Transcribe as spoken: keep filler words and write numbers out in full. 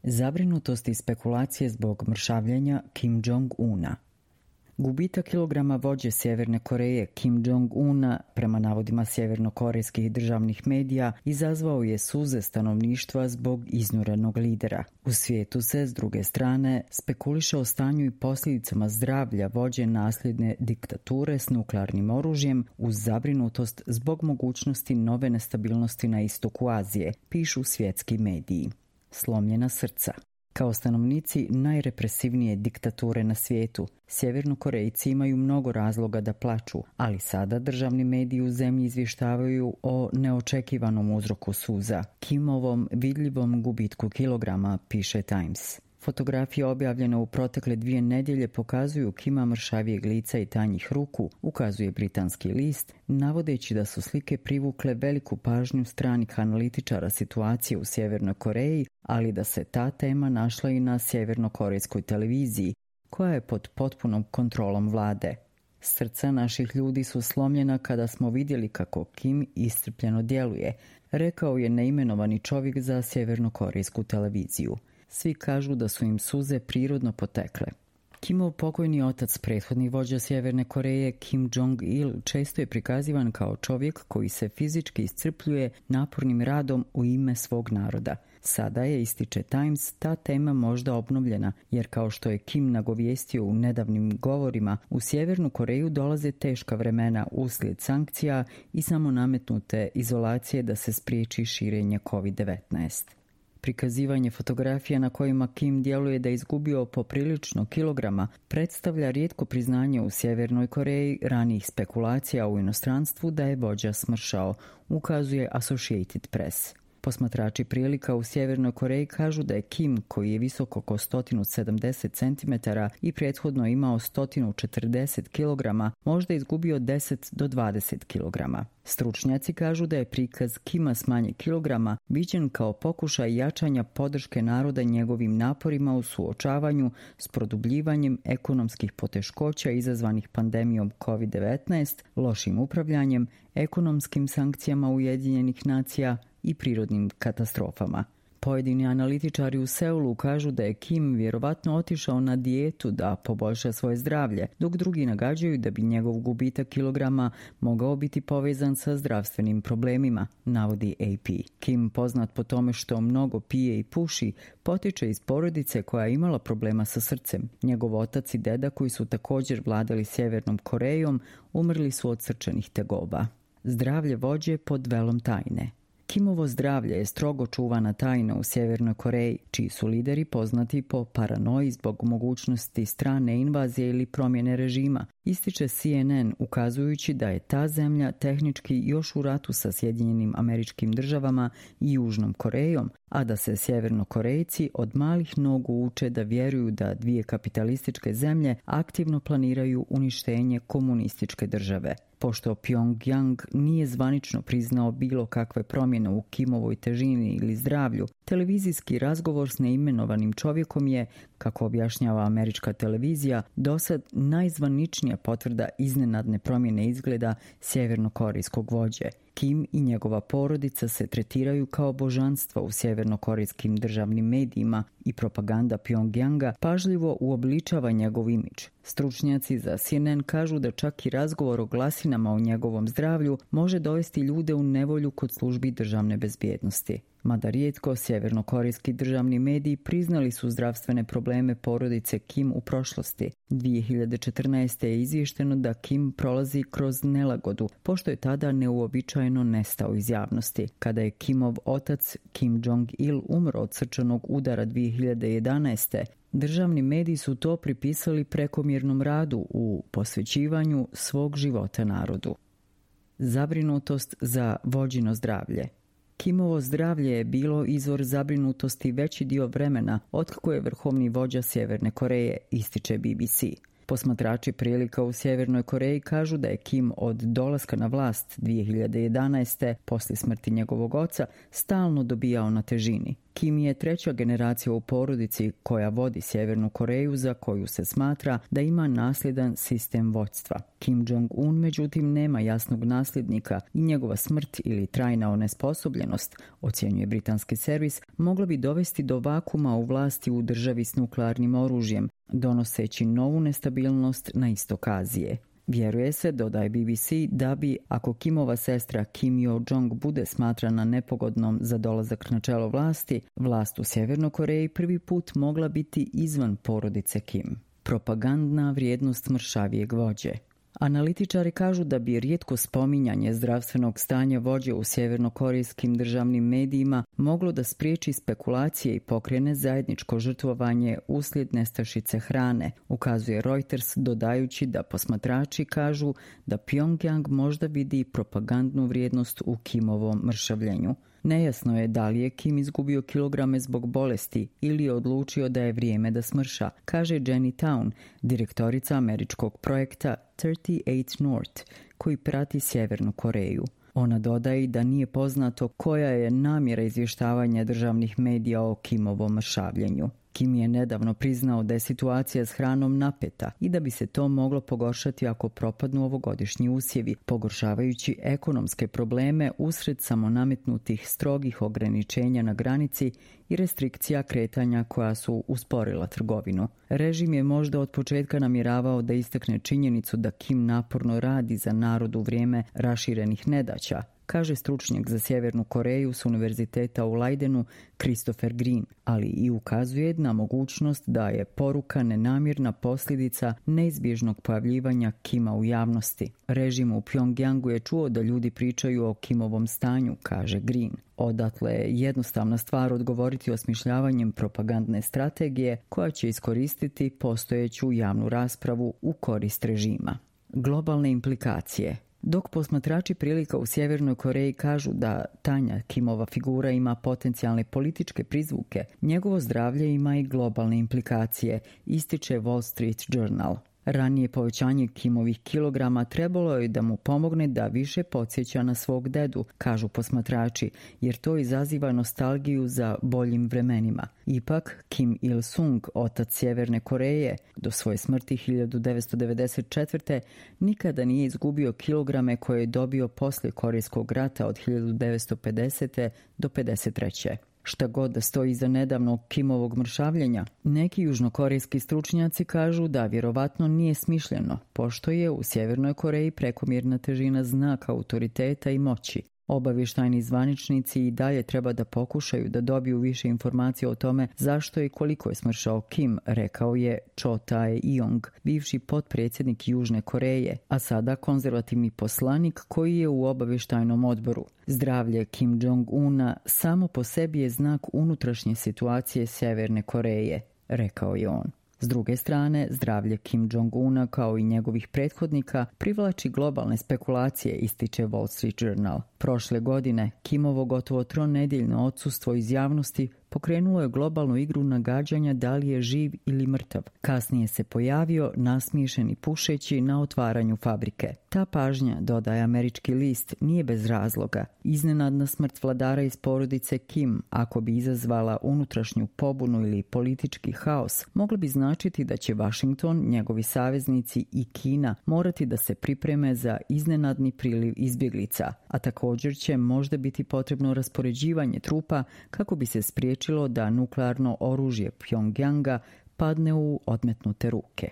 Zabrinutost i spekulacije zbog mršavljenja Kim Jong-una. Gubitak kilograma vođe Sjeverne Koreje Kim Jong-una, prema navodima sjevernokorejskih državnih medija, izazvao je suze stanovništva zbog iznurenog lidera. U svijetu se, s druge strane, spekuliše o stanju i posljedicama zdravlja vođe nasljedne diktature s nuklearnim oružjem uz zabrinutost zbog mogućnosti nove nestabilnosti na istoku Azije, pišu svjetski mediji. Slomljena srca. Kao stanovnici najrepresivnije diktature na svijetu, Sjevernokorejci imaju mnogo razloga da plaču, ali sada državni mediji u zemlji izvještavaju o neočekivanom uzroku suza, Kimovom vidljivom gubitku kilograma, piše Times. Fotografije objavljene u protekle dvije nedjelje pokazuju Kima mršavijeg lica i tanjih ruku, ukazuje britanski list, navodeći da su slike privukle veliku pažnju stranih analitičara situacije u Sjevernoj Koreji, ali da se ta tema našla i na sjevernokorejskoj televiziji, koja je pod potpunom kontrolom vlade. Srca naših ljudi su slomljena kada smo vidjeli kako Kim iscrpljeno djeluje, rekao je neimenovani čovjek za sjevernokorejsku televiziju. Svi kažu da su im suze prirodno potekle. Kimov pokojni otac, prethodni vođa Sjeverne Koreje, Kim Jong-il, često je prikazivan kao čovjek koji se fizički iscrpljuje napornim radom u ime svog naroda. Sada je, ističe Times, ta tema možda obnovljena, jer kao što je Kim nagovijestio u nedavnim govorima, u Sjevernu Koreju dolaze teška vremena uslijed sankcija i samo nametnute izolacije da se spriječi širenje kovid devetnaest. Prikazivanje fotografija na kojima Kim djeluje da je izgubio poprilično kilograma predstavlja rijetko priznanje u Sjevernoj Koreji ranijih spekulacija u inostranstvu da je vođa smršao, ukazuje Associated Press. Posmatrači prilika u Sjevernoj Koreji kažu da je Kim, koji je visok oko sto sedamdeset centimetara i prethodno imao sto četrdeset kilograma, možda izgubio deset do dvadeset kilograma. Stručnjaci kažu da je prikaz Kima s manje kilograma viđen kao pokušaj jačanja podrške naroda njegovim naporima u suočavanju s produbljivanjem ekonomskih poteškoća izazvanih pandemijom kovid devetnaest, lošim upravljanjem, ekonomskim sankcijama Ujedinjenih nacija i prirodnim katastrofama. Pojedini analitičari u Seulu kažu da je Kim vjerovatno otišao na dijetu da poboljša svoje zdravlje, dok drugi nagađaju da bi njegov gubitak kilograma mogao biti povezan sa zdravstvenim problemima, navodi A P. Kim, poznat po tome što mnogo pije i puši, potiče iz porodice koja je imala problema sa srcem. Njegov otac i deda, koji su također vladali Sjevernom Korejom, umrli su od srčanih tegoba. Zdravlje vođe pod velom tajne. Kimovo zdravlje je strogo čuvana tajna u Sjevernoj Koreji, čiji su lideri poznati po paranoji zbog mogućnosti strane invazije ili promjene režima, ističe C N N, ukazujući da je ta zemlja tehnički još u ratu sa Sjedinjenim Američkim Državama i Južnom Korejom, a da se Sjevernokorejci od malih nogu uče da vjeruju da dvije kapitalističke zemlje aktivno planiraju uništenje komunističke države. Pošto Pyongyang nije zvanično priznao bilo kakve promjene u Kimovoj težini ili zdravlju, televizijski razgovor s neimenovanim čovjekom je, kako objašnjava američka televizija, dosad najzvaničnija potvrda iznenadne promjene izgleda sjevernokorejskog vođe. Kim i njegova porodica se tretiraju kao božanstva u sjevernokorejskim državnim medijima i propaganda Pyongyanga pažljivo uobličava njegov imidž. Stručnjaci za C N N kažu da čak i razgovor o glasinama o njegovom zdravlju može dovesti ljude u nevolju kod službi državne bezbjednosti. Mada rijetko, sjevernokorejski državni mediji priznali su zdravstvene probleme porodice Kim u prošlosti. dvije hiljade četrnaeste. je izvješteno da Kim prolazi kroz nelagodu, pošto je tada neuobičajeno nestao iz javnosti. Kada je Kimov otac Kim Jong-il umro od srčanog udara dvije hiljade jedanaeste. državni mediji su to pripisali prekomjernom radu u posvećivanju svog života narodu. Zabrinutost za vođino zdravlje. Kimovo zdravlje je bilo izvor zabrinutosti veći dio vremena otkako je vrhovni vođa Sjeverne Koreje, ističe B B C. Posmatrači prilika u Sjevernoj Koreji kažu da je Kim od dolaska na vlast dvije hiljade jedanaeste. poslije smrti njegovog oca stalno dobijao na težini. Kim je treća generacija u porodici koja vodi Sjevernu Koreju, za koju se smatra da ima nasljedan sistem vođstva. Kim Jong-un međutim nema jasnog nasljednika i njegova smrt ili trajna onesposobljenost, ocjenjuje britanski servis, mogla bi dovesti do vakuma u vlasti u državi s nuklearnim oružjem, donoseći novu nestabilnost na istok Azije. Vjeruje se, dodaje B B C, da bi, ako Kimova sestra Kim Yo-jong bude smatrana nepogodnom za dolazak na čelo vlasti, vlast u Sjevernoj Koreji prvi put mogla biti izvan porodice Kim. Propagandna vrijednost mršavijeg vođe. Analitičari kažu da bi rijetko spominjanje zdravstvenog stanja vođe u sjevernokorejskim državnim medijima moglo da spriječi spekulacije i pokrene zajedničko žrtvovanje uslijed nestašice hrane, ukazuje Reuters, dodajući da posmatrači kažu da Pyongyang možda vidi propagandnu vrijednost u Kimovom mršavljenju. Nejasno je da li je Kim izgubio kilograme zbog bolesti ili je odlučio da je vrijeme da smrša, kaže Jenny Town, direktorica američkog projekta trideset osam North, koji prati Sjevernu Koreju. Ona dodaje da nije poznato koja je namjera izvještavanja državnih medija o Kimovom mršavljenju. Kim je nedavno priznao da je situacija s hranom napeta i da bi se to moglo pogoršati ako propadnu ovogodišnji usjevi, pogoršavajući ekonomske probleme usred samonametnutih strogih ograničenja na granici i restrikcija kretanja koja su usporila trgovinu. Režim je možda od početka namjeravao da istakne činjenicu da Kim naporno radi za narod u vrijeme raširenih nedaća, kaže stručnjak za Sjevernu Koreju s univerziteta u Leidenu Christopher Green, ali i ukazuje na mogućnost da je poruka nenamjerna posljedica neizbježnog pojavljivanja Kima u javnosti. Režim u Pyongyangu je čuo da ljudi pričaju o Kimovom stanju, kaže Green. Odatle je jednostavna stvar odgovoriti osmišljavanjem propagandne strategije koja će iskoristiti postojeću javnu raspravu u korist režima. Globalne implikacije. Dok posmatrači prilika u Sjevernoj Koreji kažu da tanja Kimova figura ima potencijalne političke prizvuke, njegovo zdravlje ima i globalne implikacije, ističe Wall Street Journal. Ranije povećanje Kimovih kilograma trebalo je da mu pomogne da više podsjeća na svog dedu, kažu posmatrači, jer to izaziva nostalgiju za boljim vremenima. Ipak, Kim Il-sung, otac Sjeverne Koreje, do svoje smrti hiljadu devetsto devedeset četvrte nikada nije izgubio kilograme koje je dobio poslije Korejskog rata od hiljadu devetsto pedesete do pedeset treće Šta god da stoji iza nedavnog Kimovog mršavljenja, neki južnokorejski stručnjaci kažu da vjerovatno nije smišljeno, pošto je u Sjevernoj Koreji prekomjerna težina znak autoriteta i moći. Obavještajni zvaničnici i dalje treba da pokušaju da dobiju više informacija o tome zašto i koliko je smršao Kim, rekao je Cho Tae-yong, bivši potpredsjednik Južne Koreje, a sada konzervativni poslanik koji je u obavještajnom odboru. Zdravlje Kim Jong-una samo po sebi je znak unutrašnje situacije Sjeverne Koreje, rekao je on. S druge strane, zdravlje Kim Jong-una kao i njegovih prethodnika privlači globalne spekulacije, ističe Wall Street Journal. Prošle godine Kimovo gotovo tronedjeljno odsustvo iz javnosti pokrenulo je globalnu igru nagađanja da li je živ ili mrtav. Kasnije se pojavio nasmiješen i pušeći na otvaranju fabrike. Ta pažnja, dodaje američki list, nije bez razloga. Iznenadna smrt vladara iz porodice Kim, ako bi izazvala unutrašnju pobunu ili politički haos, mogla bi značiti da će Washington, njegovi saveznici i Kina morati da se pripreme za iznenadni priliv izbjeglica, a također će možda biti potrebno raspoređivanje trupa kako bi se spriječilo da nuklearno oružje Pyongyanga padne u odmetnute ruke.